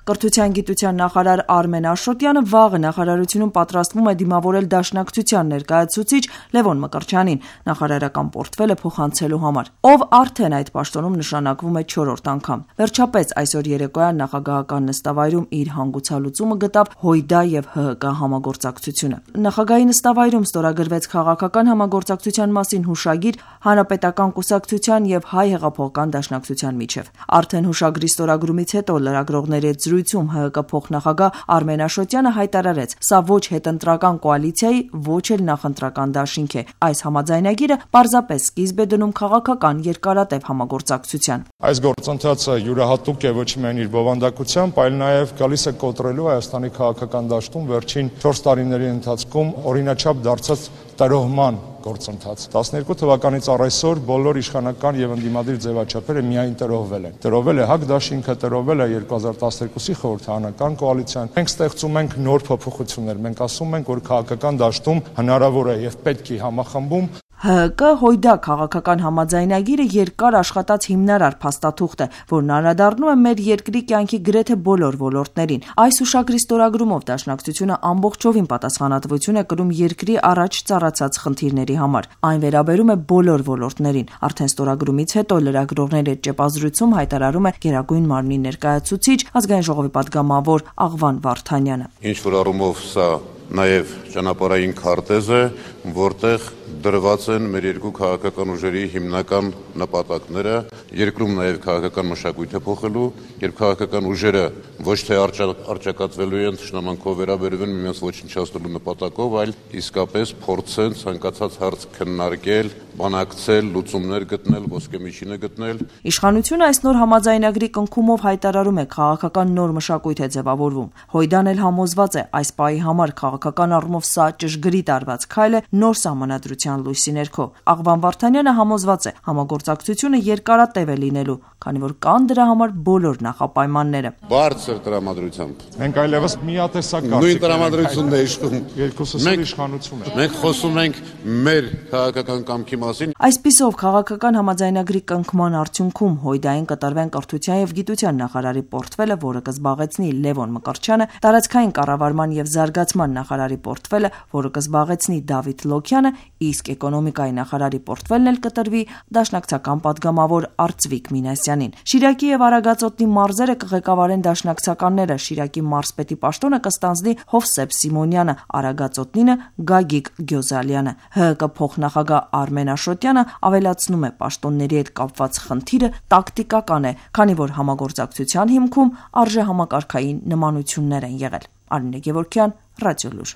Կրթության գիտության նախարար Արմեն Աշոտյանը վաղը նախարարությունում պատրաստվում է դիմավորել Դաշնակցության ներկայացուցիչ Լևոն Մկրտչյանին նախարարական պորտֆելը փոխանցելու համար, ով արդեն այդ պաշտոնում նշանակվում է 4-րդ անգամ։ Վերջապես այսօր երեկոյան նախագահական նստավայրում իր հանգուցալուծումը գտավ ՀՅԴ եւ ՀՀԿ համագործակցությունը։ Նախագահի նստավայրում ստորագրվեց քաղաքական համագործակցության մասին հուշագիր Հանրապետական կուսակցության եւ Հայ հեղափոխական դաշնակցության միջեւ։ Արդեն հուշագրի ստորագրումից հետո լրագրողների հետ զրույցում ՀՀԿ փոխնախագահ Արմեն Աշոտյանը հայտարարեց. «Սա ոչ հետընտրական կոալիցիայի, ոչ էլ նախընտրական դաշինք է։ Այս համաձայնագիրը պարզապես սկիզբ է դնում քաղաքական երկարատև համագործակցության»։ Այս գործընթացը յուրահատուկ է ոչ միայն իր բովանդակությամբ, այլ նաև գալիս է կոտրելու Հայաստանի քաղաքական դաշտում վերջին 4 տարիների ընթացքում օրինաչափ դարձած տրոհման գործընթաց։ 12 թվականից առ այսօր բոլոր իշխանական եւ ընդդիմադիր ձևաչափերը միայն տրոհվել են։ Տրոհվել է ՀԱԿ դաշինքը, տրոհվել է 2012-ի խորհրդարանական կոալիցիան։ Մենք ստեղծում ենք նոր փոփոխություններ։ Մենք ասում ենք, որ քաղաքական դաշտում հնարավոր է եւ պետք է համախմբում։ ՀՀԿ-ՀՅԴ քաղաքական համաձայնագիրը երկար աշխատած հիմնարար փաստաթուղթ է, որն անդրադառնում է մեր երկրի կյանքի գրեթե բոլոր ոլորտներին։ Այս հուշագրի ստորագրումով Դաշնակցությունը ամբողջովին պատասխանատվություն է կրում երկրի առաջ ծառացած խնդիրների համար։ Այն վերաբերում է բոլոր ոլորտներին։ Արդեն ստորագրումից հետո լրագրողների հետ ճեպազրույցում հայտարարում է Գերագույն մարմնի ներկայացուցիչ Ազգային ժողովի պատգամավոր Աղվան Վարդանյանը։ Ինչ որ առումով սա նաև ճանապարհային քարտեզ է, որտեղ դրված են մեր երկու քաղաքական ուժերի հիմնական նպատակները, երկրում նաև քաղաքական մշակույթը փոխելու, երբ քաղաքական ուժերը ոչ թե արճակատվելու են, թշնամանքով վերաբերվում միմյանց ոչնչացնելու նպատակով, այլ իսկապես փորձեն ցանկացած հարց քննարկել, բանակցել, լուծումներ գտնել, ոսկեմիջինը գտնել։ Իշխանությունը այս նոր համաձայնագրի կնքումով հայտարարում է քաղաքական նոր մշակույթ է ձևավորվում։ ՀՅԴ-ն էլ համոզված է այս պահի համար քաղաքական առումով սա ճշգրիտ արված քայլ է նոր սահմանադրության լույսի ներքո։ Աղվան Վարդանյանը համոզված է համագործակցությունը երկարատև է լինելու, քանի որ կան դրա համար բոլոր նախապայմանները։ Բարձր տրամադրությամբ։ Մենք այլևս միատեսակ կարծիք նույն տրամադրությունն է իշխում։ Երկուսս իշխանություն է։ Մենք խոսում ենք մեր քաղաքական կամքի մասին։ Այսպիսով քաղաքական համաձայնագրի կնքման արդյունքում ՀՅԴ-ին կտրվեն կրթության եւ գիտության նախարարի պորտֆելը, որը կզբաղեցնի Լևոն Մկրտչյանը, տարածքային կառավարման եւ զարգացման նախարարի պորտֆելը, որը կզբաղեցնի Դավիթ Լոքյանը, իսկ էկոնոմիկայի նախարարի պորտֆելն էլ կտրվի դաշնակցական պատգամավոր Արծվիկ Մինասյանին։ Շիրակի եւ Արագածոտնի մարզերը կղեկավարեն դաշնակցականները, Շիրակի մարզպետի պաշտոնը կստանձնի Հովսեփ Սիմոնյանը, Արագածոտնինը Գագիկ Գյոզալյանը։ ՀՀԿ փոխնախագահ Արմեն Աշոտյանը ավելացնում է պաշտոնների հետ կապված խնդիրը տակտիկական է, քանի որ համագործակցության հիմքում արժեհամակարգային նմանություններ են եղել։ Արինե Գևորգյան, Ռադիոլուր։